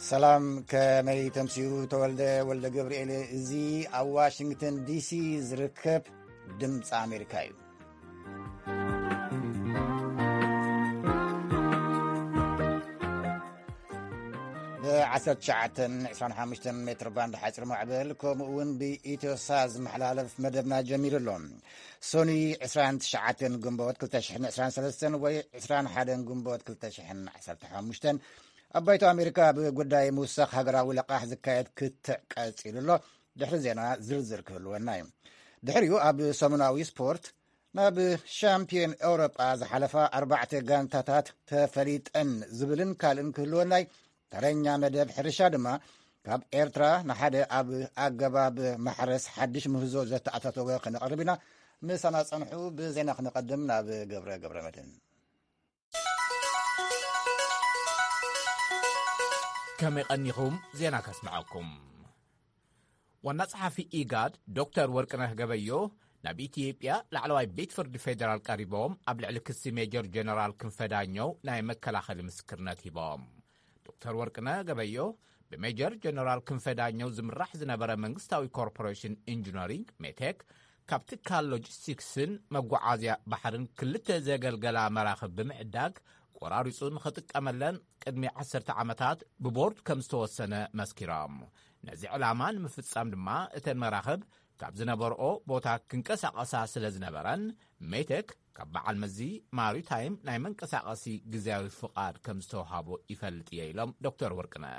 ሰላም፣ ከመይ ተምስዩ? ተወልደ ወልደ ገብርኤል። እዚ ኣብ ዋሽንግተን ዲሲ ዝርከብ ድምፂ ኣሜሪካ እዩ። ብ19 25 ሜትር ባንድ ሓፂር ማዕበል፣ ከምኡ እውን ብኢትዮሳ ዝመሓላለፍ መደብና ጀሚሩ ኣሎ። ሶኒ 29 ግንቦት 2023 ወይ 21 ግንቦት 2015 ኣብ ባይቶ ኣሜሪካ ብጉዳይ ምውሳኽ ሃገራዊ ለቓሕ ዝካየድ ክትዕ ቀጺሉ ኣሎ። ድሕሪ ዜና ዝርዝር ክህልወና እዩ። ድሕሪኡ ኣብ ሰሙናዊ ስፖርት፣ ናብ ሻምፒዮን ኤውሮጳ ዝሓለፋ ኣርባዕተ ጋንታታት ተፈሊጠን ዝብልን ካልእን ክህልወና እዩ። ተረኛ መደብ ሕርሻ ድማ፣ ካብ ኤርትራ ንሓደ ኣብ ኣገባብ ማሕረስ ሓድሽ ምህዞ ዘተኣታተወ ክነቕርብ ኢና። ምሳና ጸንሑ። ብዜና ክነቐድም ናብ ገብረ ገብረ መድህን። ከመይ ቀኒኹም? ዜና ከስምዐኩም። ዋና ጸሓፊ ኢጋድ ዶክተር ወርቅነህ ገበዮ ናብ ኢትዮጵያ ላዕለዋይ ቤት ፍርዲ ፌዴራል ቀሪቦም ኣብ ልዕሊ ክሲ ሜጀር ጀነራል ክንፈ ዳኘው ናይ መከላኸሊ ምስክርነት ሂቦም። ዶክተር ወርቅነህ ገበዮ ብሜጀር ጀነራል ክንፈ ዳኘው ዝምራሕ ዝነበረ መንግስታዊ ኮርፖሬሽን ኢንጂነሪንግ ሜቴክ ካብ ትካል ሎጂስቲክስን መጓዓዝያ ባሕርን ክልተ ዘገልገላ መራኽብ ብምዕዳግ ቆራሪጹ ንኽጥቀመለን ቅድሚ 10 ዓመታት ብቦርድ ከም ዝተወሰነ መስኪሮም። ነዚ ዕላማ ንምፍጻም ድማ እተን መራኽብ ካብ ዝነበርኦ ቦታ ክንቀሳቐሳ ስለ ዝነበረን ሜቴክ ካብ በዓል መዚ ማሪታይም ናይ መንቀሳቐሲ ግዜያዊ ፍቓድ ከም ዝተውሃቦ ይፈልጥ እየ ኢሎም ዶክተር ወርቅነህ።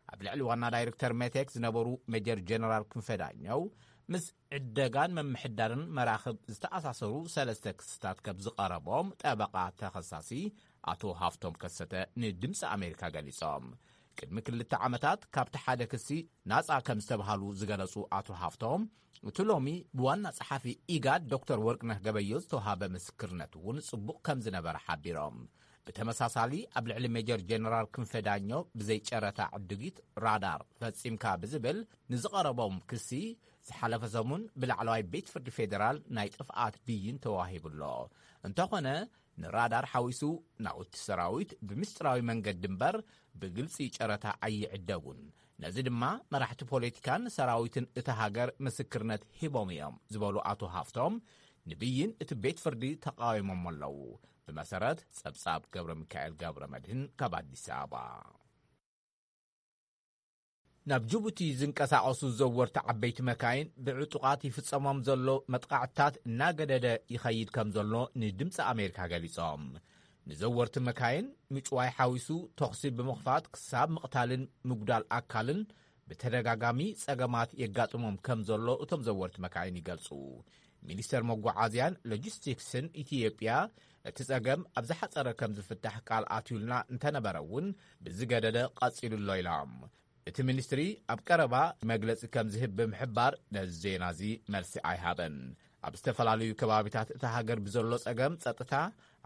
ኣብ ልዕሊ ዋና ዳይሬክተር ሜቴክ ዝነበሩ ሜጀር ጀነራል ክንፈ ዳኘው ምስ ዕደጋን ምምሕዳርን መራኽብ ዝተኣሳሰሩ ሰለስተ ክስታት ከም ዝቐረቦም ጠበቓ ተኸሳሲ ኣቶ ሃፍቶም ከሰተ ንድምፂ ኣሜሪካ ገሊጾም። ቅድሚ ክልተ ዓመታት ካብቲ ሓደ ክሲ ናጻ ከም ዝተብሃሉ ዝገለጹ ኣቶ ሃፍቶም፣ እቲ ሎሚ ብዋና ጸሓፊ ኢጋድ ዶክተር ወርቅነህ ገበዮ ዝተውሃበ ምስክርነት እውን ጽቡቕ ከም ዝነበረ ሓቢሮም። ብተመሳሳሊ ኣብ ልዕሊ ሜጀር ጀነራል ክንፈ ዳኘው ብዘይ ጨረታ ዕድጊት ራዳር ፈጺምካ ብዝብል ንዝቐረቦም ክሲ ዝሓለፈ ሰሙን ብላዕለዋይ ቤት ፍርዲ ፌዴራል ናይ ጥፍኣት ብይን ተዋሂቡ ኣሎ። እንተኾነ ንራዳር ሓዊሱ ናውቲ ሰራዊት ብምስጢራዊ መንገዲ እምበር ብግልጺ ጨረታ ኣይዕደጉን። ነዚ ድማ መራሕቲ ፖለቲካን ሰራዊትን እታ ሃገር ምስክርነት ሂቦም እዮም ዝበሉ ኣቶ ሃፍቶም፣ ንብይን እቲ ቤት ፍርዲ ተቃዊሞም ኣለዉ። ብመሰረት ጸብጻብ ገብረ ሚካኤል ገብረ መድህን ካብ ኣዲስ ኣበባ። ናብ ጅቡቲ ዝንቀሳቐሱ ዘወርቲ ዓበይቲ መካይን ብዕጡቓት ይፍጸሞም ዘሎ መጥቃዕትታት እናገደደ ይኸይድ ከም ዘሎ ንድምፂ ኣሜሪካ ገሊጾም። ንዘወርቲ መካይን ምጭዋይ ሓዊሱ ተኹሲ ብምኽፋት ክሳብ ምቕታልን ምጉዳል ኣካልን ብተደጋጋሚ ጸገማት የጋጥሞም ከም ዘሎ እቶም ዘወርቲ መካይን ይገልጹ። ሚኒስተር መጓዓዝያን ሎጂስቲክስን ኢትዮጵያ፣ እቲ ጸገም ኣብ ዝሓጸረ ከም ዝፍታሕ ቃል ኣትዩልና እንተነበረ እውን ብዝገደደ ቀጺሉ ኣሎ ኢሎም። እቲ ሚኒስትሪ ኣብ ቀረባ መግለጺ ከም ዝህብ ብምሕባር ነዚ ዜና እዚ መልሲ ኣይሃበን። ኣብ ዝተፈላለዩ ከባቢታት እታ ሃገር ብዘሎ ጸገም ጸጥታ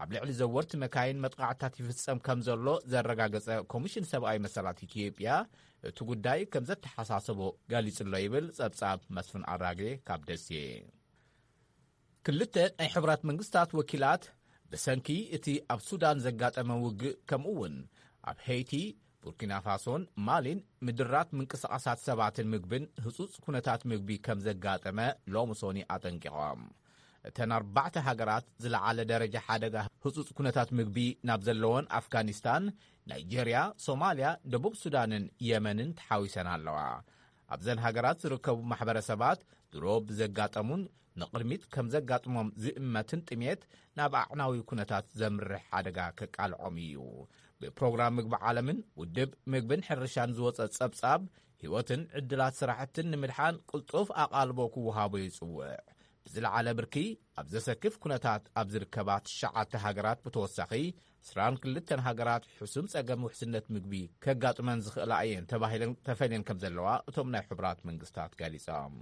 ኣብ ልዕሊ ዘወርቲ መካይን መጥቃዕታት ይፍጸም ከም ዘሎ ዘረጋገጸ ኮሚሽን ሰብኣዊ መሰላት ኢትዮጵያ እቲ ጉዳይ ከም ዘተሓሳሰቦ ገሊጹ ኣሎ ይብል ጸብጻብ መስፍን ኣራጌ ካብ ደሴ። ክልተ ናይ ሕቡራት መንግስታት ወኪላት ብሰንኪ እቲ ኣብ ሱዳን ዘጋጠመ ውግእ ከምኡ እውን ኣብ ሄይቲ፣ ቡርኪና ፋሶን ማሊን ምድራት ምንቅስቓሳት ሰባትን ምግብን ህጹጽ ኩነታት ምግቢ ከም ዘጋጠመ ሎሚ ሶኒ ኣጠንቂቖም። እተን ኣርባዕተ ሃገራት ዝለዓለ ደረጃ ሓደጋ ህጹጽ ኩነታት ምግቢ ናብ ዘለወን ኣፍጋኒስታን፣ ናይጄርያ፣ ሶማልያ፣ ደቡብ ሱዳንን የመንን ተሓዊሰን ኣለዋ። ኣብዘን ሃገራት ዝርከቡ ማሕበረሰባት ድሮ ብዘጋጠሙን ንቕድሚት ከም ዘጋጥሞም ዝእመትን ጥሜት ናብ ኣዕናዊ ኩነታት ዘምርሕ ሓደጋ ከቃልዖም እዩ። ብፕሮግራም ምግቢ ዓለምን ውድብ ምግብን ሕርሻን ዝወጸ ጸብጻብ፣ ህይወትን ዕድላት ስራሕትን ንምድሓን ቅልጡፍ ኣቓልቦ ክወሃቦ ይጽውዕ። ብዝለዓለ ብርኪ ኣብ ዘሰክፍ ኩነታት ኣብ ዝርከባ ትሽዓተ ሃገራት ብተወሳኺ፣ ዕስራን ክልተን ሃገራት ሕሱም ጸገም ውሕስነት ምግቢ ከጋጥመን ዝኽእላ እየን ተባሂለን ተፈልየን ከም ዘለዋ እቶም ናይ ሕቡራት መንግስታት ገሊጾም።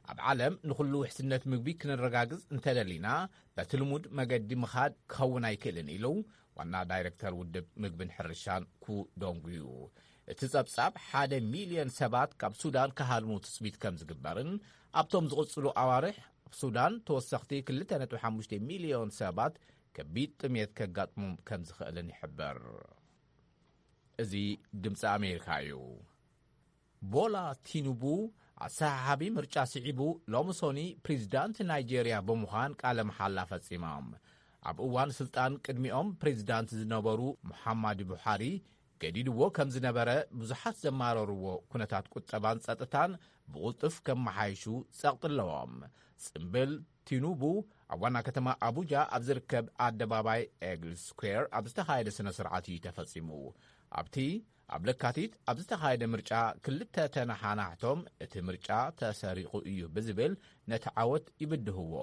ኣብ ዓለም ንኹሉ ውሕስነት ምግቢ ክነረጋግጽ እንተደሊና፣ በቲ ልሙድ መገዲ ምኻድ ክኸውን ኣይክእልን ኢሉ ዋና ዳይሬክተር ውድብ ምግብን ሕርሻን ኩ ዶንጉዩ። እቲ ጸብጻብ ሓደ ሚልዮን ሰባት ካብ ሱዳን ክሃድሙ ትጽቢት ከም ዝግበርን ኣብቶም ዝቕጽሉ ኣዋርሕ ኣብ ሱዳን ተወሰኽቲ ክልተ ነጥቢ ሓሙሽተ ሚልዮን ሰባት ከቢድ ጥሜት ከጋጥሞም ከም ዝኽእልን ይሕብር። እዚ ድምፂ ኣሜሪካ እዩ። ቦላ ቲኑቡ ኣሰሓሓቢ ምርጫ ስዒቡ ሎሚ ሶኒ ፕሬዚዳንት ናይጄርያ ብምዃን ቃለ መሓላ ፈጺሞም። ኣብ እዋን ስልጣን ቅድሚኦም ፕሬዚዳንት ዝነበሩ ሙሓማድ ቡሓሪ ገዲድዎ ከም ዝነበረ ብዙሓት ዘማረርዎ ኩነታት ቁጠባን ጸጥታን ብቕልጡፍ ከመሓይሹ ጸቕጢ ኣለዎም። ጽምብል ቲኑቡ ኣብ ዋና ከተማ ኣቡጃ ኣብ ዝርከብ ኣደባባይ ኤግል ስኩዌር ኣብ ዝተኻየደ ስነ ስርዓት እዩ ተፈጺሙ። ኣብቲ ኣብ ለካቲት ኣብ ዝተኻየደ ምርጫ ክልተ ተነሓናሕቶም እቲ ምርጫ ተሰሪቑ እዩ ብዝብል ነቲ ዓወት ይብድህዎ።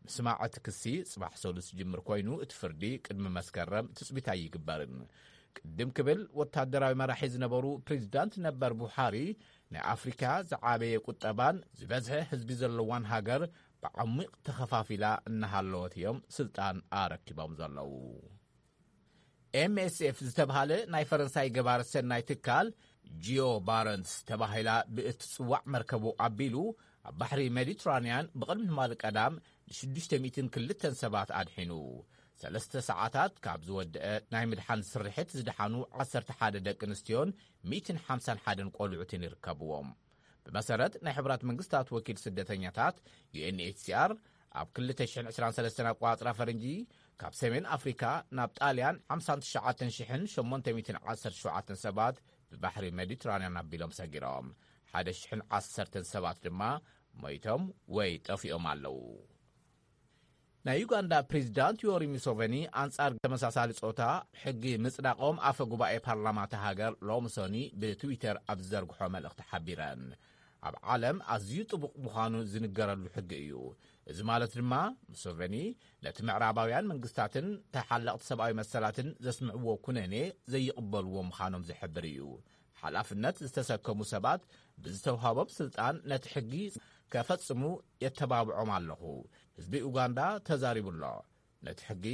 ምስማዕ እቲ ክሲ ጽባሕ ሰሉስ ዝጅምር ኮይኑ እቲ ፍርዲ ቅድሚ መስከረም ትጽቢት ኣይግበርን። ቅድም ክብል ወታደራዊ መራሒ ዝነበሩ ፕሬዚዳንት ነበር ቡሓሪ ናይ ኣፍሪካ ዝዓበየ ቁጠባን ዝበዝሐ ህዝቢ ዘለዋን ሃገር ብዓሚቕ ተኸፋፊላ እናሃለወት እዮም ስልጣን ኣረኪቦም ዘለዉ። ኤምኤስኤፍ ዝተብሃለ ናይ ፈረንሳይ ገባር ሰናይ ትካል ጂኦ ባረንስ ተባሂላ ብእትጽዋዕ መርከቡ ኣቢሉ ኣብ ባሕሪ ሜዲትራንያን ብቕድሚ ትማሊ ቀዳም ን602 ሰባት ኣድሒኑ። ሰለስተ ሰዓታት ካብ ዝወደአ ናይ ምድሓን ስርሒት ዝደሓኑ ዓሰርተ ሓደ ደቂ ኣንስትዮን ሚእትን ሓምሳን ሓደን ቆልዑትን ይርከብዎም። ብመሰረት ናይ ሕቡራት መንግስታት ወኪል ስደተኛታት ዩኤንኤችሲኣር ኣብ ክልተ ሽሕን ዕስራን ሰለስተን ኣቋጽራ ፈረንጂ ካብ ሰሜን ኣፍሪካ ናብ ጣልያን ሓምሳን ትሽዓተን ሽሕን ሸሞንተ ሚእትን ዓሰርተ ሸውዓተን ሰባት ብባሕሪ ሜዲትራንያን ኣቢሎም ሰጊሮም። ሓደ ሽሕን ዓሰርተን ሰባት ድማ ሞይቶም ወይ ጠፊኦም ኣለዉ። ናይ ዩጋንዳ ፕሬዚዳንት ዮሪ ሙሶቨኒ ኣንጻር ተመሳሳሊ ጾታ ሕጊ ምጽዳቖም ኣፈ ጉባኤ ፓርላማ እታ ሃገር ሎሚ ሶኒ ብትዊተር ኣብ ዝዘርግሖ መልእኽቲ ሓቢረን። ኣብ ዓለም ኣዝዩ ጥቡቕ ምዃኑ ዝንገረሉ ሕጊ እዩ። እዚ ማለት ድማ ሙሶቨኒ ነቲ ምዕራባውያን መንግስታትን ተሓለቕቲ ሰብኣዊ መሰላትን ዘስምዕዎ ኩነኔ ዘይቕበልዎ ምዃኖም ዝሕብር እዩ። ሓላፍነት ዝተሰከሙ ሰባት ብዝተውሃቦም ስልጣን ነቲ ሕጊ ከፈጽሙ የተባብዖም ኣለኹ። ህዝቢ ኡጋንዳ ተዛሪቡ ኣሎ። ነቲ ሕጊ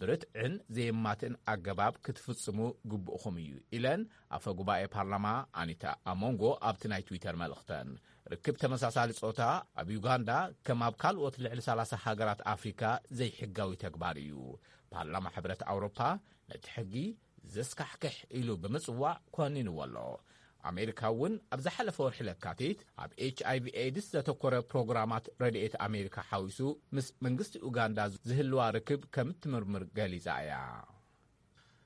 ብርትዕን ዘየማትእን ኣገባብ ክትፍጽሙ ግቡእኹም እዩ ኢለን ኣፈ ጉባኤ ፓርላማ ኣኒታ ኣሞንጎ ኣብቲ ናይ ትዊተር መልእኽተን። ርክብ ተመሳሳሊ ጾታ ኣብ ዩጋንዳ ከም ኣብ ካልኦት ልዕሊ ሰላሳ ሃገራት ኣፍሪካ ዘይሕጋዊ ተግባር እዩ። ፓርላማ ሕብረት ኣውሮፓ ነቲ ሕጊ ዘስካሕክሕ ኢሉ ብምጽዋዕ ኮኒንዎ ኣሎ። ኣሜሪካ እውን ኣብ ዝሓለፈ ወርሒ ለካቲት ኣብ ኤች ኣይ ቪ ኤድስ ዘተኮረ ፕሮግራማት ረድኤት ኣሜሪካ ሓዊሱ ምስ መንግስቲ ኡጋንዳ ዝህልዋ ርክብ ከም እትምርምር ገሊጻ እያ።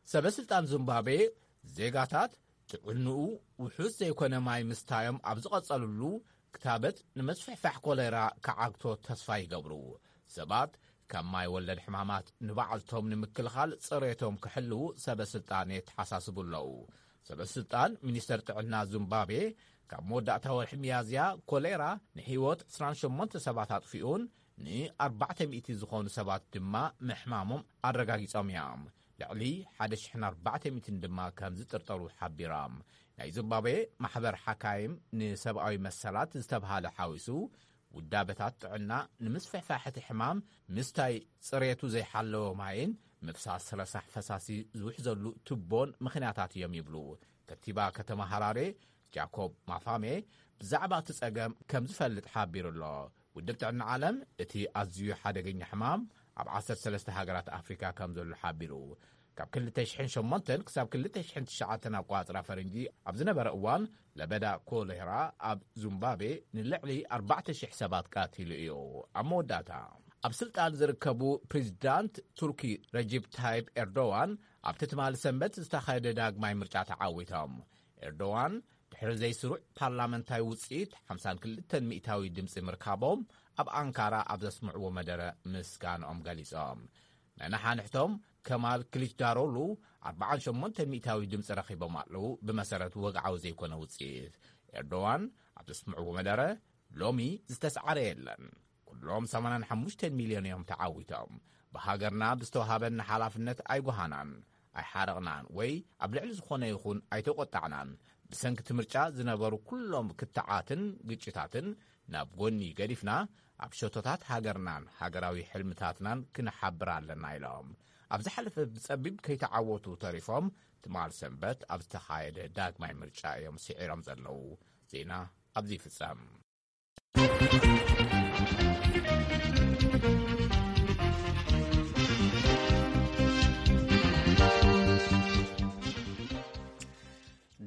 ሰበ ስልጣን ዚምባብዌ ዜጋታት ጥዕንኡ ውሑስ ዘይኮነ ማይ ምስታዮም ኣብ ዝቐጸሉሉ ክታበት ንምስፍሕፋሕ ኮሌራ ክዓግቶ ተስፋ ይገብሩ። ሰባት ካብ ማይ ወለድ ሕማማት ንባዕልቶም ንምክልኻል ጽሬቶም ክሕልዉ ሰበ ስልጣን የተሓሳስቡ ኣለዉ። ሰበ ስልጣን ሚኒስተር ጥዕና ዚምባብዌ ካብ መወዳእታ ወርሒ ሚያዝያ ኮሌራ ንህይወት ዕስራን ሸሞንተ ሰባት ኣጥፊኡን ንኣርባዕተ ሚእቲ ዝኾኑ ሰባት ድማ ምሕማሞም ኣረጋጊጾም እዮም። ልዕሊ ሓደ ሽሕን ኣርባዕተ ሚእትን ድማ ከም ዝጥርጠሩ ሓቢሮም። ናይ ዚምባብዌ ማሕበር ሓካይም ንሰብኣዊ መሰላት ዝተብሃለ ሓዊሱ ውዳበታት ጥዕና ንምስፍሕፋሕ እቲ ሕማም ምስታይ ጽሬቱ ዘይሓለወ ማይን ምፍሳስ ረሳሕ ፈሳሲ ዝውሕዘሉ ቱቦን ምኽንያታት እዮም ይብሉ። ከንቲባ ከተማ ሃራሬ ጃኮብ ማፋሜ ብዛዕባ እቲ ጸገም ከም ዝፈልጥ ሓቢሩ ኣሎ። ውድብ ጥዕና ዓለም እቲ ኣዝዩ ሓደገኛ ሕማም ኣብ ዓሰርተ ሰለስተ ሃገራት ኣፍሪካ ከም ዘሎ ሓቢሩ። ካብ ክልተ ሽሕን ሸሞንተን ክሳብ ክልተ ሽሕን ትሽዓተን ኣቋጽራ ፈረንጂ ኣብ ዝነበረ እዋን ለበዳ ኮሌራ ኣብ ዙምባቤ ንልዕሊ ኣርባዕተ ሽሕ ሰባት ቀቲሉ እዩ። ኣብ መወዳእታ ኣብ ስልጣን ዝርከቡ ፕሬዚዳንት ቱርኪ ረጂብ ታይብ ኤርዶዋን ኣብቲ ትማሊ ሰንበት ዝተኻየደ ዳግማይ ምርጫ ተዓዊቶም። ኤርዶዋን ድሕሪ ዘይስሩዕ ፓርላመንታዊ ውፅኢት ሓምሳን ክልተን ሚእታዊ ድምፂ ምርካቦም ኣብ ኣንካራ ኣብ ዘስምዕዎ መደረ ምስጋንኦም ገሊፆም። ነናሓንሕቶም ከማል ክሊችዳሮግሉ ኣርባዓን ሸሞንተን ሚእታዊ ድምፂ ረኺቦም ኣለዉ። ብመሰረት ወግዓዊ ዘይኮነ ውፅኢት ኤርዶዋን ኣብ ዘስምዕዎ መደረ ሎሚ ዝተስዓረ የለን። ኩሎም ሰማንያን ሓሙሽተ ሚልዮን እዮም ተዓዊቶም። ብሃገርና ብዝተዋሃበና ሓላፍነት ኣይጓሃናን፣ ኣይሓረቕናን ወይ ኣብ ልዕሊ ዝኾነ ይኹን ኣይተቖጣዕናን። ብሰንኪ እቲ ምርጫ ዝነበሩ ኩሎም ክትዓትን ግጭታትን ናብ ጎኒ ገዲፍና ኣብ ሸቶታት ሃገርናን ሃገራዊ ሕልምታትናን ክንሓብር ኣለና ኢሎም። ኣብ ዝሓለፈ ብጸቢብ ከይተዓወቱ ተሪፎም ትማል ሰንበት ኣብ ዝተኻየደ ዳግማይ ምርጫ እዮም ስዒሮም ዘለዉ። ዜና ኣብዚ ይፍጸም።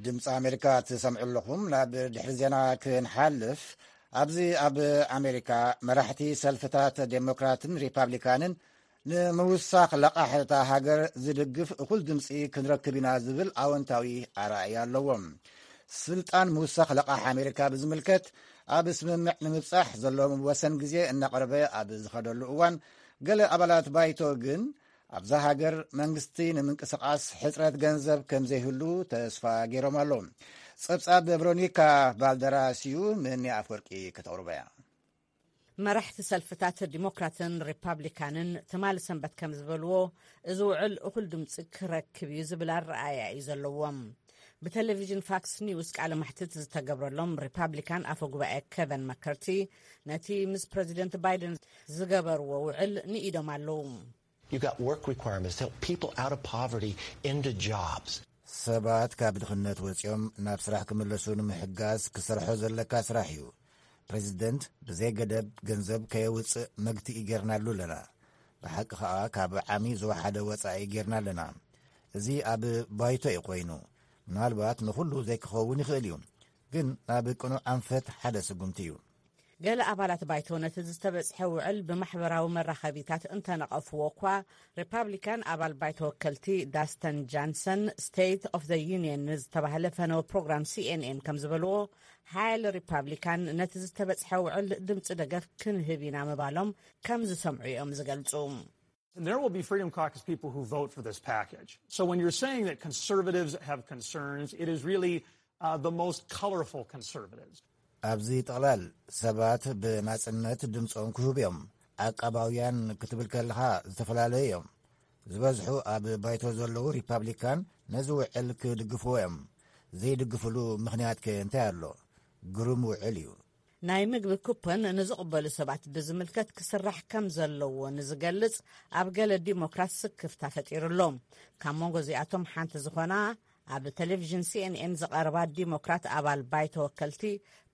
ድምፂ ኣሜሪካ ትሰምዑ ኣለኹም። ናብ ድሕሪ ዜና ክንሓልፍ፣ ኣብዚ ኣብ ኣሜሪካ መራሕቲ ሰልፍታት ዴሞክራትን ሪፓብሊካንን ንምውሳኽ ለቓሕ እታ ሃገር ዝድግፍ እኹል ድምፂ ክንረክብ ኢና ዝብል ኣወንታዊ ኣረኣእያ ኣለዎም። ስልጣን ምውሳኽ ለቓሕ ኣሜሪካ ብዝምልከት ኣብ ስምምዕ ንምብጻሕ ዘሎ መወሰን ግዜ እናቐረበ ኣብ ዝኸደሉ እዋን፣ ገለ ኣባላት ባይቶ ግን ኣብዛ ሃገር መንግስቲ ንምንቅስቓስ ሕጽረት ገንዘብ ከም ዘይህሉ ተስፋ ገይሮም ኣለዉ። ጸብጻብ ቨሮኒካ ባልደራስ እዩ፣ ምኒ ኣፍወርቂ ከተቕርቦ እያ። መራሕቲ ሰልፍታት ዲሞክራትን ሪፓብሊካንን ትማሊ ሰንበት ከም ዝበልዎ፣ እዚ ውዕል እኹል ድምፂ ክረክብ እዩ ዝብል ኣረኣእያ እዩ ዘለዎም። ብቴሌቪዥን ፋክስ ኒውስ ቃለ መሕትት ዝተገብረሎም ሪፓብሊካን ኣፈ ጉባኤ ኬቨን መከርቲ ነቲ ምስ ፕረዚደንት ባይደን ዝገበርዎ ውዕል ንኢዶም ኣለዉ። You've got work requirements to help people out of poverty into jobs. ሰባት ካብ ድኽነት ወፂኦም ናብ ስራሕ ክምለሱ ንምሕጋዝ ክሰርሖ ዘለካ ስራሕ እዩ። ፕሬዚደንት ብዘይ ገደብ ገንዘብ ከየውፅእ መግትኢ ጌርናሉ ኣለና። ብሓቂ ከዓ ካብ ዓሚ ዝወሓደ ወፃኢ ጌርና ኣለና። እዚ ኣብ ባይቶ እዩ ኮይኑ፣ ምናልባት ንኹሉ ዘይክኸውን ይኽእል እዩ፣ ግን ናብ ቅኑዕ ኣንፈት ሓደ ስጉምቲ እዩ። ገለ ኣባላት ባይቶ ነቲ ዝተበጽሐ ውዕል ብማሕበራዊ መራኸቢታት እንተነቐፍዎ እኳ፣ ሪፓብሊካን ኣባል ባይቶ ወከልቲ ዳስተን ጃንሰን ስቴት ኦፍ ዘ ዩኒየን ንዝተባህለ ፈነወ ፕሮግራም ሲኤንኤን ከም ዝበልዎ፣ ሓያለ ሪፓብሊካን ነቲ ዝተበጽሐ ውዕል ድምፂ ደገፍ ክንህብ ኢና ምባሎም ከም ዝሰምዑ እዮም ዝገልጹ። There will be Freedom Caucus people who vote for this package. So when you're saying that conservatives have concerns, it is really uh, the most colorful conservatives. ኣብዚ ጥቕላል ሰባት ብናጽነት ድምጾም ክህቡ እዮም። ዓቃባውያን ክትብል ከለኻ ዝተፈላለዩ እዮም። ዝበዝሑ ኣብ ባይቶ ዘለዉ ሪፓብሊካን ነዚ ውዕል ክድግፍዎ እዮም። ዘይድግፍሉ ምኽንያት ከ እንታይ ኣሎ? ግሩም ውዕል እዩ። ናይ ምግቢ ኩፖን ንዝቕበሉ ሰባት ብዝምልከት ክስራሕ ከም ዘለዎ ንዝገልጽ ኣብ ገለ ዲሞክራት ስክፍታ ፈጢሩ ኣሎ። ካብ መንጎ እዚኣቶም ሓንቲ ዝኾና ኣብ ቴሌቪዥን ሲኤንኤን ዝቐረባ ዲሞክራት ኣባል ባይቶ ወከልቲ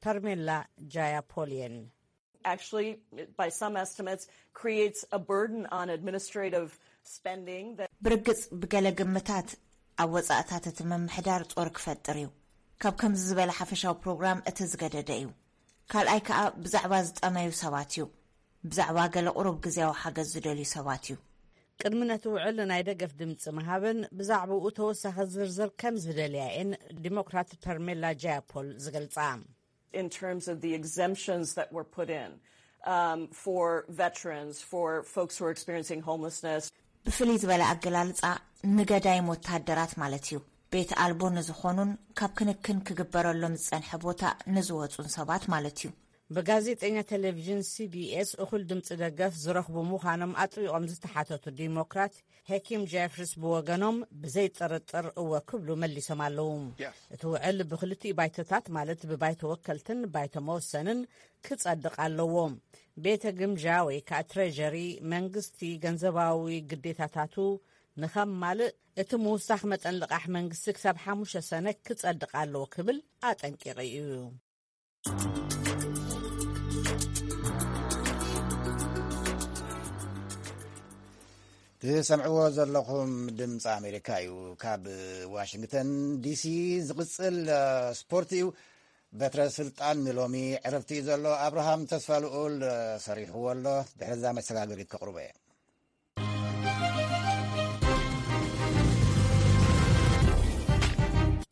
ፐርሜላ ጃያፖሊየን። Actually, by some estimates, creates a burden on administrative spending that ብርግጽ ብገለ ግምታት ኣብ ወጻእታት እቲ ምምሕዳር ጾር ክፈጥር እዩ። ካብ ከምዚ ዝበለ ሓፈሻዊ ፕሮግራም እቲ ዝገደደ እዩ። ካልኣይ ከኣ ብዛዕባ ዝጠመዩ ሰባት እዩ። ብዛዕባ ገለ ቁሩብ ግዜያዊ ሓገዝ ዝደልዩ ሰባት እዩ። ቅድሚ ነቲ ውዕል ናይ ደገፍ ድምፂ ምሃበን ብዛዕባኡ ተወሳኺ ዝርዝር ከም ዝደልያ እየን ዲሞክራት ፐርሜላ ጃያፖል ዝገልጻ። In terms of the exemptions that were put in um, for veterans, for folks who are experiencing homelessness, ብፍልይ ዝበለ ኣገላልጻ ንገዳይም ወተሃደራት ማለት እዩ። ቤት ኣልቦ ንዝኾኑን ካብ ክንክን ክግበረሎም ዝጸንሐ ቦታ ንዝወጹን ሰባት ማለት እዩ። ብጋዜጠኛ ቴሌቪዥን ሲቢኤስ እኹል ድምፂ ደገፍ ዝረኽቡ ምዃኖም ኣጥቢቖም ዝተሓተቱ ዲሞክራት ሄኪም ጄፍሪስ ብወገኖም ብዘይ ጥርጥር እወ ክብሉ መሊሶም ኣለዉ። እቲ ውዕል ብክልቲኡ ባይቶታት ማለት ብባይቶ ወከልትን ባይቶ መወሰንን ክጸድቕ ኣለዎ። ቤተ ግምጃ ወይ ከዓ ትሬጀሪ መንግስቲ ገንዘባዊ ግዴታታቱ ንኸማልእ እቲ ምውሳኽ መጠን ልቓሕ መንግስቲ ክሳብ ሓሙሽተ ሰነ ክጸድቕ ኣለዎ ክብል ኣጠንቂቑ እዩ። ትሰምዕዎ ዘለኹም ድምፂ ኣሜሪካ እዩ። ካብ ዋሽንግተን ዲሲ ዝቕፅል ስፖርት እዩ። በትረ ስልጣን ንሎሚ ዕረፍቲ እዩ ዘሎ። ኣብርሃም ተስፋ ልኡል ሰሪሕዎ ኣሎ። ድሕርዛ መሰጋገሪት ከቕርቦ እየ።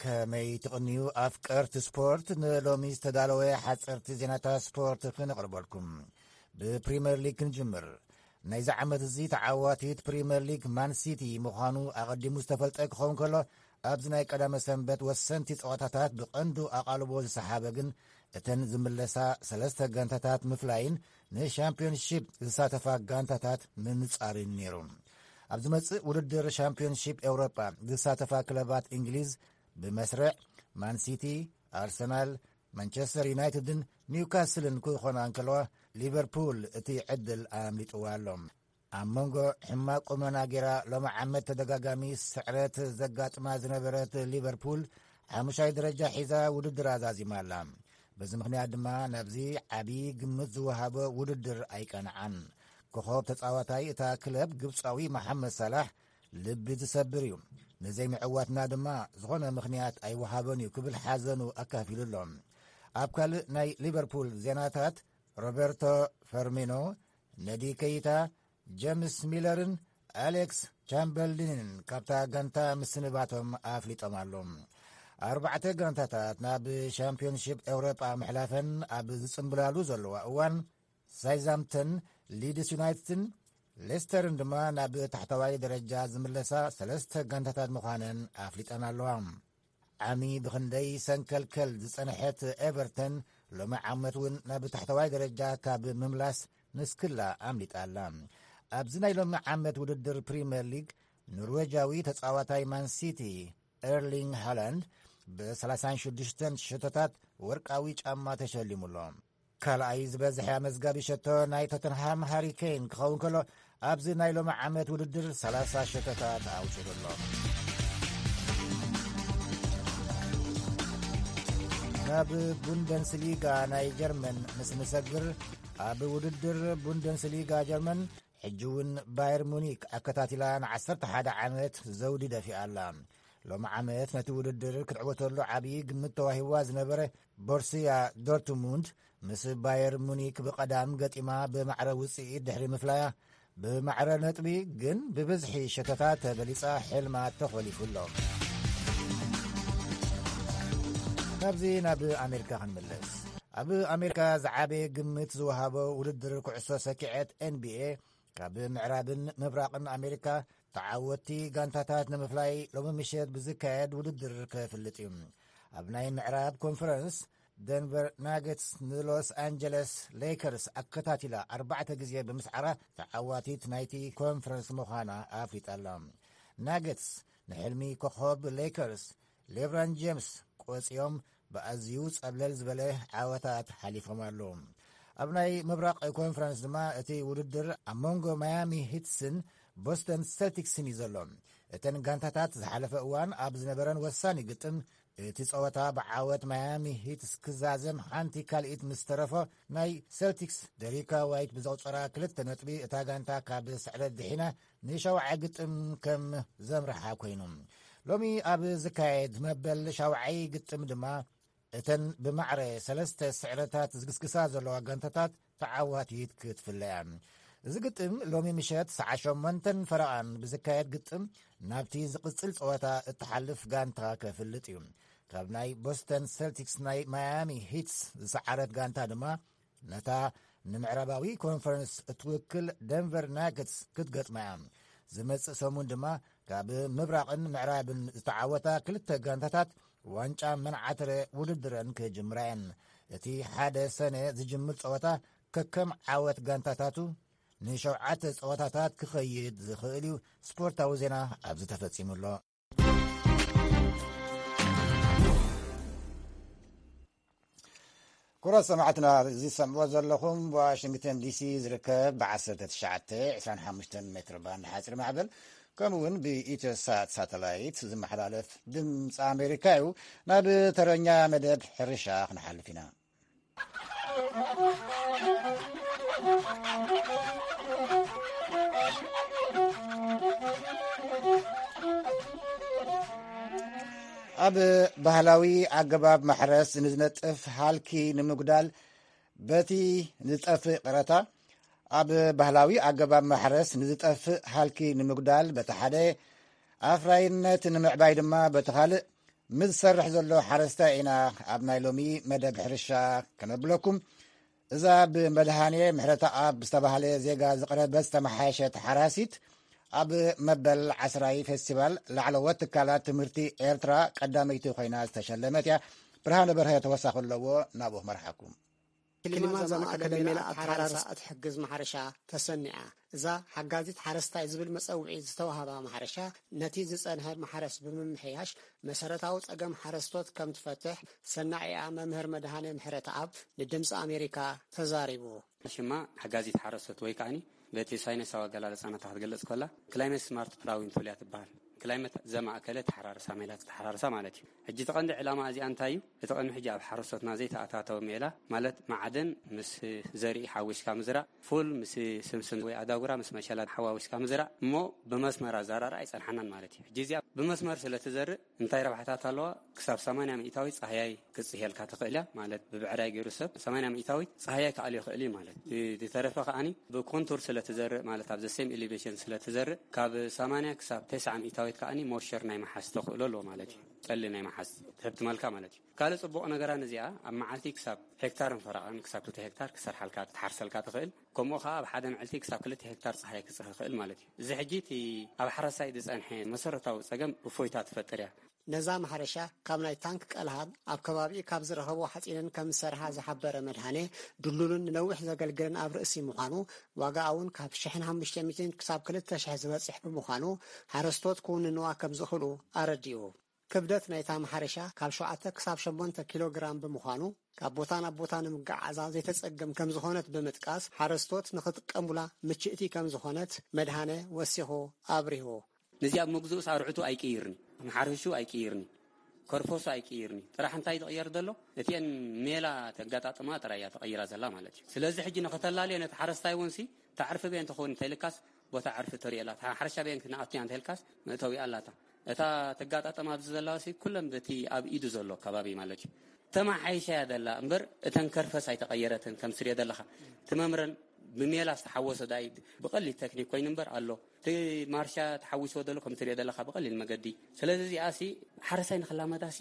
ከመይ ትቕንዩ ኣፍቀርቲ ስፖርት፣ ንሎሚ ዝተዳለወ ሓፀርቲ ዜናታት ስፖርት ክነቕርበልኩም። ብፕሪምየር ሊግ ክንጅምር። ናይዚ ዓመት እዚ ተዓዋቲት ፕሪምየር ሊግ ማን ሲቲ ምዃኑ ኣቐዲሙ ዝተፈልጠ ክኸውን ከሎ፣ ኣብዚ ናይ ቀዳመ ሰንበት ወሰንቲ ፀዋታታት ብቐንዱ ኣቓልቦ ዝሰሓበ ግን እተን ዝምለሳ ሰለስተ ጋንታታት ምፍላይን ንሻምፒዮንሺፕ ዝሳተፋ ጋንታታት ምንጻርን ነይሩ። ኣብ ዝመጽእ ውድድር ሻምፒዮንሺፕ ኤውሮጳ ዝሳተፋ ክለባት እንግሊዝ ብመስርዕ ማንሲቲ፣ ኣርሰናል፣ ማንቸስተር ዩናይትድን ኒውካስልን ክኾና እንከለዋ፣ ሊቨርፑል እቲ ዕድል ኣምሊጥዋ ኣሎ። ኣብ መንጎ ሕማቕ ቁመና ጌራ ሎሚ ዓመት ተደጋጋሚ ስዕረት ዘጋጥማ ዝነበረት ሊቨርፑል ሓሙሻይ ደረጃ ሒዛ ውድድር ኣዛዚማ ኣላ። በዚ ምኽንያት ድማ ናብዚ ዓብዪ ግምት ዝወሃቦ ውድድር ኣይቀንዓን። ኮኸብ ተጻዋታይ እታ ክለብ ግብጻዊ መሓመድ ሳላሕ ልቢ ዝሰብር እዩ። ንዘይምዕዋትና ድማ ዝኾነ ምኽንያት ኣይወሃቦን እዩ ክብል ሓዘኑ ኣካፊሉ ኣሎ። ኣብ ካልእ ናይ ሊቨርፑል ዜናታት፣ ሮበርቶ ፈርሚኖ፣ ነዲ ከይታ፣ ጀምስ ሚለርን ኣሌክስ ቻምበርሊንን ካብታ ጋንታ ምስንባቶም ኣፍሊጦም ኣሎ። ኣርባዕተ ጋንታታት ናብ ሻምፒዮንሺፕ ኤውሮጳ ምሕላፈን ኣብ ዝጽንብላሉ ዘለዋ እዋን፣ ሳይዛምተን፣ ሊድስ ዩናይትድን ሌስተርን ድማ ናብ ታሕተዋይ ደረጃ ዝምለሳ ሰለስተ ጋንታታት ምዃነን ኣፍሊጠን ኣለዋ። ዓሚ ብኽንደይ ሰንከልከል ዝጸንሐት ኤቨርተን፣ ሎሚ ዓመት እውን ናብ ታሕተዋይ ደረጃ ካብ ምምላስ ንስክላ ኣምሊጣ ኣላ። ኣብዚ ናይ ሎሚ ዓመት ውድድር ፕሪምየር ሊግ፣ ኖርዌጃዊ ተጻዋታይ ማን ሲቲ ኤርሊንግ ሃላንድ ብ36 ሸቶታት ወርቃዊ ጫማ ተሸሊሙ ኣሎ። ካልኣይ ዝበዝሐ ኣመዝጋቢ ሸቶ ናይ ቶተንሃም ሃሪ ኬን ክኸውን ከሎ፣ ኣብዚ ናይ ሎሚ ዓመት ውድድር ሰላሳ ሸቶታት ኣውጺኡ ኣሎ። ናብ ቡንደስሊጋ ናይ ጀርመን ምስ ንሰግር፣ ኣብ ውድድር ቡንደስሊጋ ጀርመን ሕጂ እውን ባየር ሙኒክ ኣከታቲላ ን11 ዓመት ዘውዲ ደፊኣ ኣላ። ሎሚ ዓመት ነቲ ውድድር ክትዕወተሉ ዓብዪ ግምት ተዋሂብዋ ዝነበረ ቦርስያ ዶርትሙንድ፣ ምስ ባየር ሙኒክ ብቐዳም ገጢማ ብማዕረ ውጽኢት ድሕሪ ምፍላያ፣ ብማዕረ ነጥቢ ግን ብብዝሒ ሸተታት ተበሊጻ፣ ሕልማ ተኾሊፉ ኣሎ። ካብዚ ናብ ኣሜሪካ ክንምለስ። ኣብ ኣሜሪካ ዝዓበየ ግምት ዝወሃቦ ውድድር ኩዕሶ ሰኪዐት ኤን ቢ ኤ፣ ካብ ምዕራብን ምብራቕን ኣሜሪካ ተዓወትቲ ጋንታታት ንምፍላይ ሎሚ ምሸት ብዝካየድ ውድድር ከፍልጥ እዩ። ኣብ ናይ ምዕራብ ኮንፈረንስ፣ ደንቨር ናገትስ ንሎስ ኣንጀለስ ሌከርስ ኣከታቲላ ኣርባዕተ ግዜ ብምስዓራ ተዓዋቲት ናይቲ ኮንፈረንስ ምዃና ኣፍሊጣ ኣላ። ናገትስ ንሕልሚ ኮኸብ ሌከርስ ሌብራን ጀምስ ቆጽዮም ብኣዝዩ ጸብለል ዝበለ ዓወታት ሓሊፎም ኣለዉ። ኣብ ናይ ምብራቕ ኮንፈረንስ ድማ እቲ ውድድር ኣብ መንጎ ማያሚ ሂትስን ቦስተን ሰልቲክስን እዩ ዘሎ። እተን ጋንታታት ዝሓለፈ እዋን ኣብ ዝነበረን ወሳኒ ግጥም፣ እቲ ጸወታ ብዓወት ማያሚ ሂትስ ክዛዘም ሓንቲ ካልኢት ምስ ተረፎ፣ ናይ ሰልቲክስ ደሪካ ዋይት ብዘቑጸራ ክልተ ነጥቢ እታ ጋንታ ካብ ስዕረት ድሒና ንሻውዓይ ግጥም ከም ዘምርሓ ኮይኑ። ሎሚ ኣብ ዝካየድ መበል ሻውዓይ ግጥም ድማ እተን ብማዕረ ሰለስተ ስዕረታት ዝግስግሳ ዘለዋ ጋንታታት ተዓዋቲት ክትፍለያ። እዚ ግጥም ሎሚ ምሸት ሰዓ ሸሞንተን ፈረቓን ብዝካየድ ግጥም ናብቲ ዝቕጽል ጸወታ እትሓልፍ ጋንታ ከፍልጥ እዩ። ካብ ናይ ቦስተን ሰልቲክስ ናይ ማያሚ ሂትስ ዝሰዓረት ጋንታ ድማ ነታ ንምዕራባዊ ኮንፈረንስ እትውክል ደንቨር ናገትስ ክትገጥማ እያ። ዝመጽእ ሰሙን ድማ ካብ ምብራቕን ምዕራብን ዝተዓወታ ክልተ ጋንታታት ዋንጫ መንዓትረ ውድድረን ክጅምራ እየን። እቲ ሓደ ሰነ ዝጅምር ጸወታ ከከም ዓወት ጋንታታቱ ንሸውዓተ ጸወታታት ክኸይድ ዝኽእል እዩ። ስፖርታዊ ዜና ኣብዚ ተፈጺሙ ኣሎ። ክቡራት ሰማዕትና፣ እዚ ዝሰምዕዎ ዘለኹም ዋሽንግተን ዲሲ ዝርከብ ብ1925 ሜትር ባንድ ሓፂር ማዕበል፣ ከምኡ እውን ብኢትዮሳት ሳተላይት ዝመሓላለፍ ድምፂ ኣሜሪካ እዩ። ናብ ተረኛ መደብ ሕርሻ ክንሓልፍ ኢና። ኣብ ባህላዊ ኣገባብ ማሕረስ ንዝነጥፍ ሃልኪ ንምጉዳል በቲ ዝጠፍእ ቅረታ፣ ኣብ ባህላዊ ኣገባብ ማሕረስ ንዝጠፍእ ሃልኪ ንምጉዳል በቲ ሓደ ኣፍራይነት ንምዕባይ ድማ በቲ ካልእ ምስ ዝሰርሕ ዘሎ ሓረስታይ ኢና ኣብ ናይ ሎሚ መደብ ሕርሻ ከነብለኩም። እዛ ብመድሃኔ ምሕረተኣብ ዝተባህለ ዜጋ ዝቕረበት ዝተመሓየሸት ሓራሲት፣ ኣብ መበል ዓስራይ ፌስቲቫል ላዕለዎት ትካላት ትምህርቲ ኤርትራ ቀዳመይቲ ኮይና ዝተሸለመት እያ። ብርሃነ በርሀ ተወሳኺ ኣለዎ፣ ናብኡ ክመርሓኩም። ክሊማ እዛ ማእከለ ሜላ ኣተሓራርሳ እትሕግዝ ማሕረሻ ተሰኒዓ። እዛ ሓጋዚት ሓረስታይ ዝብል መጸውዒ ዝተዋህባ ማሕረሻ፣ ነቲ ዝጸንሐ ማሕረስ ብምምሕያሽ መሰረታዊ ጸገም ሓረስቶት ከም ትፈትሕ ሰናዒኣ መምህር መድሃኔ ምሕረተኣብ ንድምጺ ኣሜሪካ ተዛሪቡ። ሽማ ሓጋዚት ሓረስቶት ወይ ከዓኒ በቲ ሳይነሳዊ ኣገላልጻ ናታ ክትገልጽ ከላ፣ ክላይመት ስማርት ፕላዊን ትብል እያ ትበሃል። ክላይመት ዘማእከለ ተሓራርሳ ሜላ ተሓራርሳ ማለት እዩ። ሕጂ እቲ ቀንዲ ዕላማ እዚኣ እንታይ እዩ? እቲ ቀንዲ ሕጂ ኣብ ሓረስቶትና ዘይተኣታተወ ሜላ ማለት ማዕድን ምስ ዘርኢ ሓዊስካ ምዝራእ፣ ፉል ምስ ስምስም ወይ ኣዳጉራ ምስ መሸላ ሓዋዊስካ ምዝራእ እሞ ብመስመር ኣዘራርኣ ኣይጸንሓናን ማለት እዩ። ሕጂ እዚኣ ብመስመር ስለ ትዘርእ እንታይ ረብሓታት ኣለዋ? ክሳብ ሰማንያ ሚእታዊት ጻህያይ ክጽህየልካ ትኽእል እያ ማለት ብብዕራይ ገይሩ ሰብ ሰማንያ ሚእታዊት ጻህያይ ክኣልዮ ይኽእል እዩ ማለት። ዝተረፈ ከኣኒ ብኮንቱር ስለ ትዘርእ ማለት ኣብ ዘሴም ኤሊቬሽን ስለ ትዘርእ ካብ ሰማንያ ክሳብ ተስዓ ሚእታዊት ከኣኒ ሞሸር ናይ መሓዝ ተኽእሎ ኣለዎ ማለት እዩ። ጠሊ ናይ መሓዝ ትህብ ትመልካ ማለት እዩ። ካልእ ጽቡቕ ነገራ ነዚኣ ኣብ መዓልቲ ክሳብ ሄክታርን ፈረቓን ክሳብ ክልተ ሄክታር ክሰርሓልካ ክትሓርሰልካ ትኽእል። ከምኡ ኸኣ ኣብ ሓደ መዓልቲ ክሳብ ክልተ ሄክታር ጸሓይ ክጽህ ይኽእል ማለት እዩ። እዚ ሕጂ እቲ ኣብ ሓረሳይ ዝጸንሐ መሰረታዊ ጸገም እፎይታ ትፈጥር እያ። ነዛ ማሕረሻ ካብ ናይ ታንክ ቀልሃብ ኣብ ከባቢኡ ካብ ዝረኸቦ ሓፂንን ከም ዝሰርሓ ዝሓበረ መድሃኔ፣ ድሉልን ንነዊሕ ዘገልግልን ኣብ ርእሲ ምዃኑ፣ ዋጋኣ እውን ካብ ሽሕን ሓሙሽተ ሚእትን ክሳብ ክልተ ሽሕ ዝበፅሕ ብምዃኑ ሓረስቶት ክውንንዋ ከም ዝኽእሉ ኣረዲኡ። ክብደት ናይታ ማሕረሻ ካብ ሸውዓተ ክሳብ ሸሞንተ ኪሎ ግራም ብምዃኑ ካብ ቦታ ናብ ቦታ ንምጉዓዛ ዘይተፀግም ከም ዝኾነት ብምጥቃስ፣ ሓረስቶት ንኽጥቀሙላ ምችእቲ ከም ዝኾነት መድሃኔ ወሲኹ ኣብሪሁ። ነዚኣ ኣብ መግዝኡስ ኣርዕቱ ኣይቅይርኒ፣ መሓረሹ ኣይቅይርኒ፣ ከርፈሱ ኣይቅይርኒ። ጥራሕ እንታይ ዝቕየር ዘሎ? እቲአን ሜላ ተጋጣጥማ ጥራይ እያ ተቐይራ ዘላ ማለት እዩ። ስለዚ ሕጂ ንኸተላልዮ ነቲ ሓረስታይ እውን ሲ፣ እታ ዕርፊ በየን ትኸውን እንተኢልካስ፣ ቦታ ዕርፊ ተርእየላ፣ እታ ሓረሻ በየን ክንኣቱ እያ እንተኢልካስ፣ መእተዊ ኣላታ። እታ ተጋጣጥማ ኣብዚ ዘላ ሲ፣ ኩለን በቲ ኣብ ኢዱ ዘሎ ከባቢ ማለት እዩ። ተማሓይሻ እያ ዘላ እምበር፣ እተን ከርፈስ ኣይተቐየረትን። ከም ትሪኦ ዘለኻ፣ እቲ መምረን ብሜላ ዝተሓወሶ ዳይ ብቐሊል ቴክኒክ ኮይኑ እምበር ኣሎ። እቲ ማርሻ ተሓዊስዎ ዘሎ ከም ትሪኦ ዘለኻ ብቐሊል መገዲ። ስለዚ እዚኣ ሲ ሓረሳይ ንኽላመዳ ሲ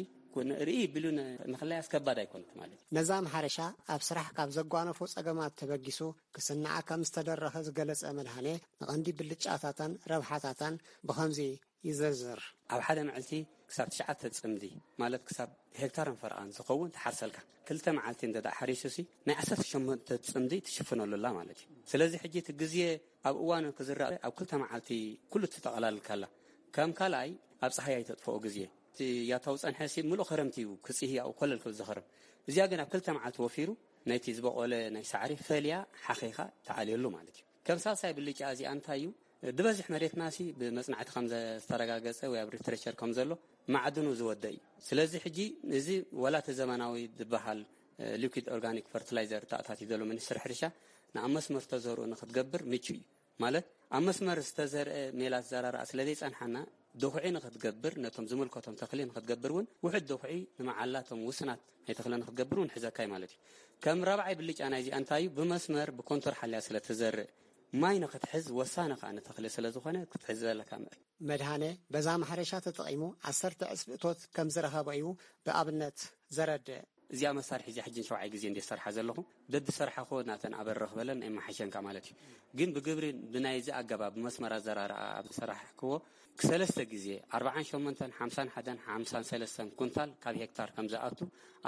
ርእ ቢሉ ን-፣ ንኽላያ ኣስከባድ ኣይኮነት ማለት እዩ። ነዛ ማሕረሻ ኣብ ስራሕ ካብ ዘጓነፎ ጸገማት ተበጊሱ ክስንዓ ከም ዝተደረኸ ዝገለጸ መድሃኔ፣ ንቐንዲ ብልጫታታን ረብሓታታን ብኸምዚ ይዘርዝር። ኣብ ሓደ መዓልቲ ክሳብ ትሽዓተ ጽምዲ፣ ማለት ክሳብ ሄክታርን ፈረቓን ዝኸውን ትሓርሰልካ። ክልተ መዓልቲ እንተ ደኣ ሓሪሱ ሲ፣ ናይ ዓሰርተ ሸሞንተ ጽምዲ ትሽፍነሉ ኣላ ማለት እዩ። ስለዚ ሕጂ እቲ ግዜ ኣብ እዋኑ ክዝራእ ኣብ ክልተ መዓልቲ ኩሉ ትጠቐላልካ ኣላ። ከም ካልኣይ ኣብ ጸሓይ ኣይተጥፍኦ ግዜ። እቲ ያታው ጸንሐ ሲ፣ ምሉእ ኸረምቲ እዩ ክጽሂ ኣብኡ ኮለል ክብል ዝኸርም። እዚኣ ግን ኣብ ክልተ መዓልቲ ወፊሩ ነቲ ዝበቖለ ናይ ሳዕሪ ፈልያ ሓኺኻ ተኣልየሉ ማለት እዩ። ከም ሳልሳይ ብልጫ እዚኣ እንታይ እዩ? ዝበዝሕ መሬትና ሲ ብመጽናዕቲ ከም ዝተረጋገጸ ወይ ኣብ ሊትሬቸር ከም ዘሎ ማዕድኑ ዝወደ እዩ። ስለዚ ሕጂ እዚ ወላ እቲ ዘመናዊ ዝበሃል፣ እ፣ ሊኩድ ኦርጋኒክ ፈርቲላይዘር ተኣታትዩ ዘሎ ሚኒስትሪ ሕርሻ ንኣብ መስመር ተዘርኡ ንኽትገብር ምቹ እዩ። ማለት ኣብ መስመር ዝተዘርአ ሜላ ዘራርኣ ስለ ዘይጸንሓና ድኹዒ ንኽትገብር ነቶም ዝምልከቶም ተኽሊ ንኽትገብር እውን ውሑድ ድኹዒ ንመዓላቶም ውስናት ናይ ተኽሊ ንኽትገብር እውን ሕዘካይ ማለት እዩ። ከም ራብዓይ ብልጫ ናይዚኣ እንታይ እዩ? ብመስመር ብኮንቶር ሓልያ ስለ ትዘርእ ማይ ንኽትሕዝ ወሳኒ ከኣ ንተኽሊ ስለ ዝኾነ ክትሕዝ ዘለካ ምእር። መድሃነ በዛ ማሕረሻ ተጠቒሙ ዓሰርተ ዕጽፊ እቶት ከም ዝረኸበ እዩ ብኣብነት ዘረድእ። እዚኣ መሳርሒ እዚኣ ሕጂ ንሸውዓይ ግዜ እንደ ሰርሓ ዘለኹ፣ በብሰርሓኹ ናተን ኣበርኽ በለን ኣይመሓሸንካ ማለት እዩ። ግን ብግብሪ ብናይዚ ኣገባብ ብመስመር ኣዘራርኣ ኣብ ዝሰራሕክዎ ክሰለስተ ግዜ ኣርብዓን ሸሞንተን ሓምሳን ሓደን ሓምሳን ሰለስተን ኩንታል ካብ ሄክታር ከም ዝኣቱ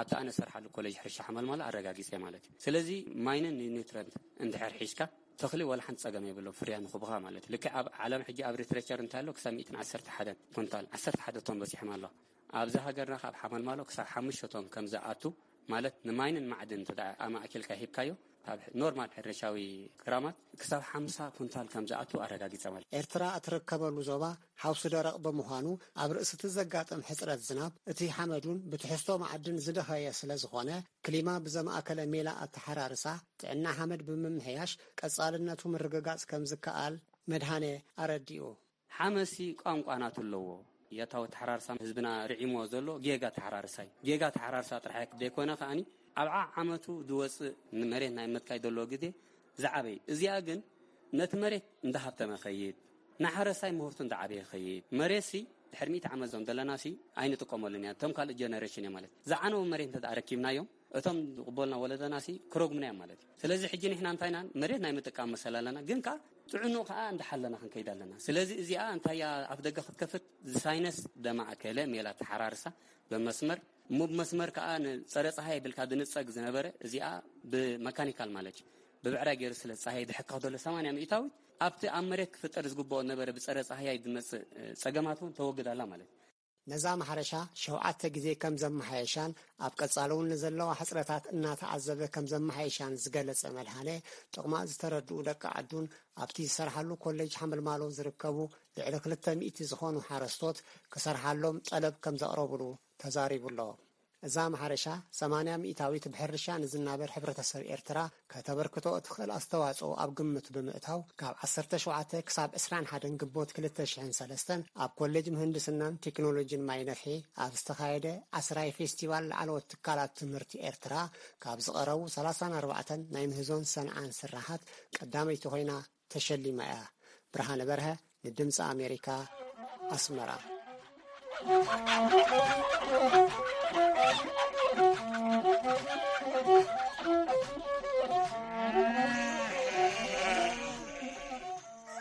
ኣብቲ ኣነ ዝሰርሓሉ ኮሌጅ ሕርሻ ሓመልማሎ ኣረጋጊጸ ማለት እዩ። ስለዚ ማይንን ኒውትረንት እንድሕር ሒዝካ ተኽሊ ወላ ሓንቲ ጸገም የብሎም ፍርያ ንኽቡኻ ማለት እዩ። ልክዕ ኣብ ዓለም ሕጂ ኣብ ሊትሬቸር እንታይ ኣሎ ክሳብ ሚእትን ዓሰርተ ሓደን ኩንታል ዓሰርተ ሓደ ቶን በጺሖም ኣለዋ። ኣብዚ ሃገርና ካብ ሓመልማሎ ክሳብ ሓሙሽተ ቶን ከም ዝኣቱ ማለት ንማይንን ማዕድን እንተ ደኣ ኣማእኪልካ ሂብካዮ ኣብ ኖርማል ሕርሻዊ ክራማት ክሳብ ሓምሳ ኩንታል ከም ዝኣቱ ኣረጋጊጸ ማለት እዩ። ኤርትራ እትርከበሉ ዞባ ሓውሲ ደረቕ ብምዃኑ ኣብ ርእሲ እቲ ዘጋጥም ሕጽረት ዝናብ እቲ ሓመዱን ብትሕዝቶ ማዕድን ዝደኸየ ስለ ዝኾነ ክሊማ ብዘማእከለ ሜላ ኣተሓራርሳ ጥዕና ሓመድ ብምምሕያሽ ቀጻልነቱ ምርግጋጽ ከም ዝከኣል መድሃኔ ኣረዲኡ። ሓመሲ ቋንቋ ናቱ ኣለዎ። ያታዊ ኣተሓራርሳ ህዝብና ርዒሞ ዘሎ ጌጋ ኣተሓራርሳ እዩ። ጌጋ ኣተሓራርሳ ጥራሕ ዘይኮነ ከኣኒ ኣብ ዓዓመቱ ዝወፅእ ንመሬት ናይ ምጥቃይ ዘለዎ ግዜ ዝዓበይ። እዚኣ ግን ነቲ መሬት እንዳሃብተመ ኸይድ፣ ንሓረሳይ ምህርቱ እንዳዓበየ ኸይድ። መሬትሲ ድሕሪ ሚእቲ ዓመት ዞም ዘለና ሲ ኣይንጥቀመሉን ኢና። እቶም ካልእ ጀነሬሽን እዮም ማለት። ዝዓነወ መሬት እንተ ደኣ ረኪብናዮም እቶም ዝቕበሉና ወለደና ሲ ክረጉምና እዮም ማለት እዩ። ስለዚ ሕጂ ንሕና እንታይ ኢና መሬት ናይ ምጥቃም መሰል ኣለና፣ ግን ከኣ ጥዕንኡ ከኣ እንዳሓለና ክንከይድ ኣለና። ስለዚ እዚኣ እንታይ እያ ኣፍ ደገ ክትከፍት ዝሳይነስ ደማእከለ ሜላ ተሓራርሳ ብመስመር እሞ ብመስመር ከኣ ንጸረ ጸሃይ የብልካ ድንጸግ ዝነበረ እዚኣ ብመካኒካል ማለት እዩ። ብብዕራይ ገይሩ ስለ ጸሃይ ድሕካ ከሎ ሰማንያ ሚእታዊት ኣብቲ ኣብ መሬት ክፍጠር ዝግብኦ ነበረ ብጸረ ጸሃያይ ዝመጽእ፣ እ፣ ጸገማት እውን ተወግድ ኣላ ማለት እዩ። ነዛ ማሕረሻ ሸውዓተ ግዜ ከም ዘመሓየሻን ኣብ ቀጻሊ እውን ንዘለዋ ሕጽረታት እናተዓዘበ ከም ዘመሓየሻን ዝገለጸ መድሃኔ፣ ጥቕማ ዝተረድኡ ደቂ ዓዱን ኣብቲ ዝሰርሓሉ ኮሌጅ ሓመልማሎ ዝርከቡ ልዕሊ ክልተ ሚእቲ ዝኾኑ ሓረስቶት ክሰርሓሎም ጠለብ ከም ዘቕረቡሉ ተዛሪቡ ኣሎ። እዛ ማሕረሻ ሰማንያ ሚእታዊት ብሕርሻ ንዝናበር ሕብረተሰብ ኤርትራ ከተበርክቶ እትኽእል ኣስተዋጽኦ ኣብ ግምት ብምእታው፣ ካብ ዓሰርተ ሸውዓተ ክሳብ ዕስራን ሓደን ግንቦት ክልተ ሽሕን ሰለስተን ኣብ ኮሌጅ ምህንድስናን ቴክኖሎጂን ማይ ነፍሒ ኣብ ዝተኻየደ ዓስራይ ፌስቲቫል ላዕለዎት ትካላት ትምህርቲ ኤርትራ ካብ ዝቐረቡ ሰላሳን ኣርባዕተን ናይ ምህዞን ሰንዓን ስራሓት ቀዳመይቲ ኮይና ተሸሊማ እያ። ብርሃነ በርሀ ንድምፂ ኣሜሪካ፣ ኣስመራ።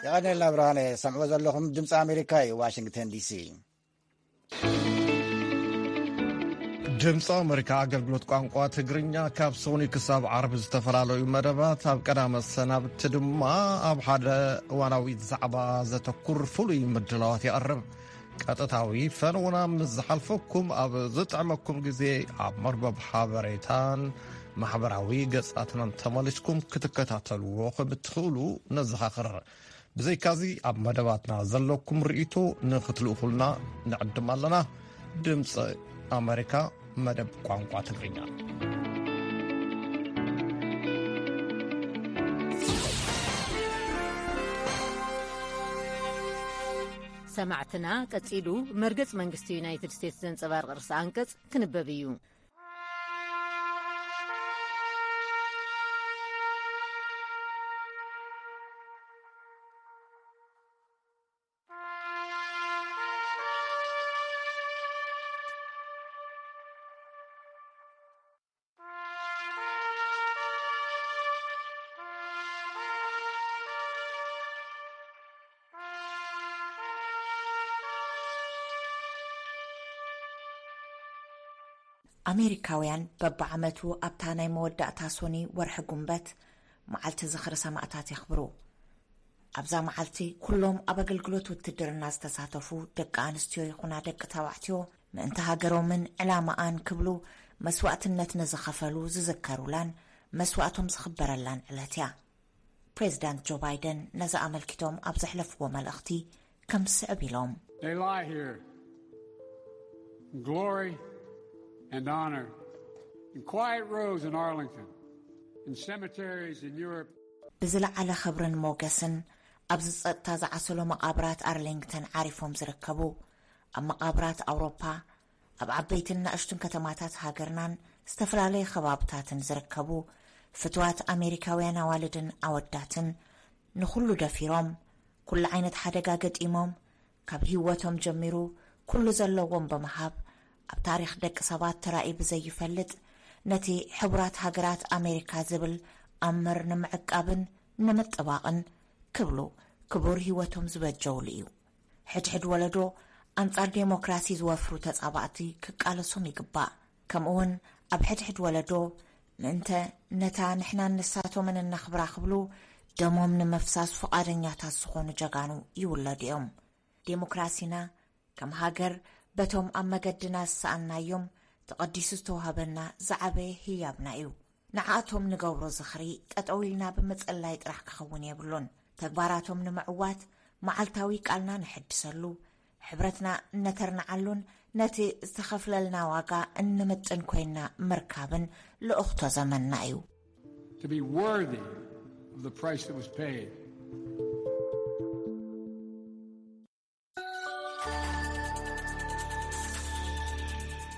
የቐኔልና ብርሃነ። ሰምዕዎ ዘለኹም ድምፂ ኣሜሪካ እዩ፣ ዋሽንግተን ዲሲ። ድምፂ ኣሜሪካ ኣገልግሎት ቋንቋ ትግርኛ ካብ ሶኒ ክሳብ ዓርቢ ዝተፈላለዩ መደባት፣ ኣብ ቀዳመ ሰናብቲ ድማ ኣብ ሓደ እዋናዊ ዛዕባ ዘተኩር ፍሉይ ምድላዋት የቕርብ። ቀጥታዊ ፈነውና ምስ ዝሓልፈኩም፣ ኣብ ዝጥዕመኩም ግዜ ኣብ መርበብ ሓበሬታን ማሕበራዊ ገጻትናን ተመሊስኩም ክትከታተልዎ ከም እትኽእሉ ነዘኻኽር። ብዘይካዚ፣ ኣብ መደባትና ዘለኩም ርእይቶ ንኽትልእኹልና ንዕድም ኣለና። ድምፂ ኣሜሪካ፣ መደብ ቋንቋ ትግርኛ። ሰማዕትና፣ ቀጺሉ መርገጽ መንግስቲ ዩናይትድ ስቴትስ ዘንጸባርቕ ርእሰ ኣንቀጽ ክንበብ እዩ። ኣሜሪካውያን በብዓመቱ ኣብታ ናይ መወዳእታ ሶኒ ወርሒ ጉንበት መዓልቲ ዝኽሪ ሰማእታት የኽብሩ። ኣብዛ መዓልቲ ኩሎም ኣብ ኣገልግሎት ውትድርና ዝተሳተፉ ደቂ ኣንስትዮ ይኹና ደቂ ተባዕትዮ ምእንቲ ሃገሮምን ዕላማኣን ክብሉ መስዋእትነት ንዝኸፈሉ ዝዝከሩላን መስዋእቶም ዝኽበረላን ዕለት እያ። ፕሬዚዳንት ጆ ባይደን ነዚ ኣመልኪቶም ኣብ ዘሕለፍዎ መልእኽቲ ከም ዝስዕብ ኢሎም። They lie here in glory and honor, in quiet rows in Arlington, in cemeteries in Europe. ብዝለዓለ ክብርን ሞገስን ኣብዚ ጸጥታ ዝዓሰሎ መቓብራት ኣርሊንግተን ዓሪፎም ዝርከቡ፣ ኣብ መቓብራት ኣውሮፓ፣ ኣብ ዓበይትን ንኣሽቱን ከተማታት ሃገርናን ዝተፈላለየ ከባብታትን ዝርከቡ ፍትዋት ኣሜሪካውያን ኣዋልድን ኣወዳትን፣ ንኹሉ ደፊሮም፣ ኩሉ ዓይነት ሓደጋ ገጢሞም፣ ካብ ህይወቶም ጀሚሩ ኩሉ ዘለዎም ብምሃብ፣ ኣብ ታሪኽ ደቂ ሰባት ተራእዩ ብዘይፈልጥ፣ ነቲ ሕቡራት ሃገራት ኣሜሪካ ዝብል ኣምር ንምዕቃብን ንምጥባቕን ክብሉ ክቡር ህይወቶም ዝበጀውሉ እዩ። ሕድሕድ ወለዶ ኣንጻር ዴሞክራሲ ዝወፍሩ ተጻባእቲ ክቃለሶም ይግባእ። ከምኡውን ኣብ ሕድሕድ ወለዶ ምእንተ ነታ ንሕናን ንሳቶምን እነኽብራ ክብሉ ደሞም ንምፍሳስ ፍቓደኛታት ዝኾኑ ጀጋኑ ይውለዱ እዮም። ዴሞክራሲና ከም ሃገር በቶም ኣብ መገድና ዝሰኣንናዮም ተቐዲሱ ዝተዋህበና ዝዓበየ ህያብና እዩ። ንዓኣቶም ንገብሮ ዝኽሪ ጠጠው ኢልና ብምጽላይ ጥራሕ ክኸውን የብሉን። ተግባራቶም ንምዕዋት መዓልታዊ ቃልና ንሕድሰሉ፣ ሕብረትና እነተርንዓሉን ነቲ ዝተኸፍለልና ዋጋ እንምጥን ኮይንና ምርካብን ልኡኽቶ ዘመንና እዩ። To be worthy of the price that was paid.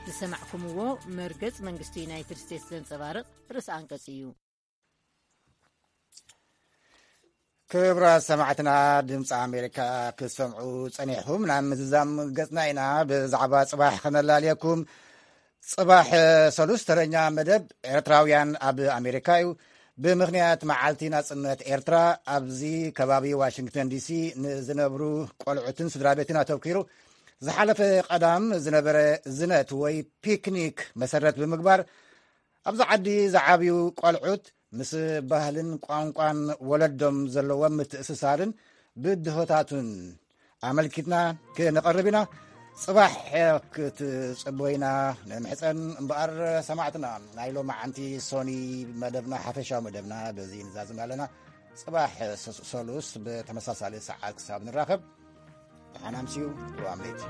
ዝሰማዕኩምዎ መርገጽ መንግስቲ ዩናይትድ ስቴትስ ዘንጸባርቕ ርእሰ ኣንቀጽ እዩ። ክቡራት ሰማዕትና፣ ድምፂ ኣሜሪካ ክትሰምዑ ጸኒሕኩም። ናብ ምዝዛም ገጽና ኢና። ብዛዕባ ጽባሕ ከነላልየኩም። ጽባሕ ሰሉስ ተረኛ መደብ ኤርትራውያን ኣብ ኣሜሪካ እዩ። ብምኽንያት መዓልቲ ናጽነት ኤርትራ ኣብዚ ከባቢ ዋሽንግተን ዲሲ ንዝነብሩ ቆልዑትን ስድራ ቤትን ኣተኪሩ ዝሓለፈ ቀዳም ዝነበረ ዝነት ወይ ፒክኒክ መሰረት ብምግባር ኣብዚ ዓዲ ዝዓብዩ ቆልዑት ምስ ባህልን ቋንቋን ወለዶም ዘለዎም ምትእስሳርን ብድሆታቱን ኣመልኪትና ክነቐርብ ኢና። ጽባሕ ክትጽበዩና ንምሕጸን እምበኣር፣ ሰማዕትና፣ ናይ ሎማዓንቲ ሶኒ መደብና፣ ሓፈሻዊ መደብና በዚ ንዛዝም ኣለና። ጽባሕ ሰ-፣ ሰሉስ ብተመሳሳሊ ሰዓት ክሳብ ንራኸብ፣ ደሓን ኣምስዩ። ሮኣምሌት።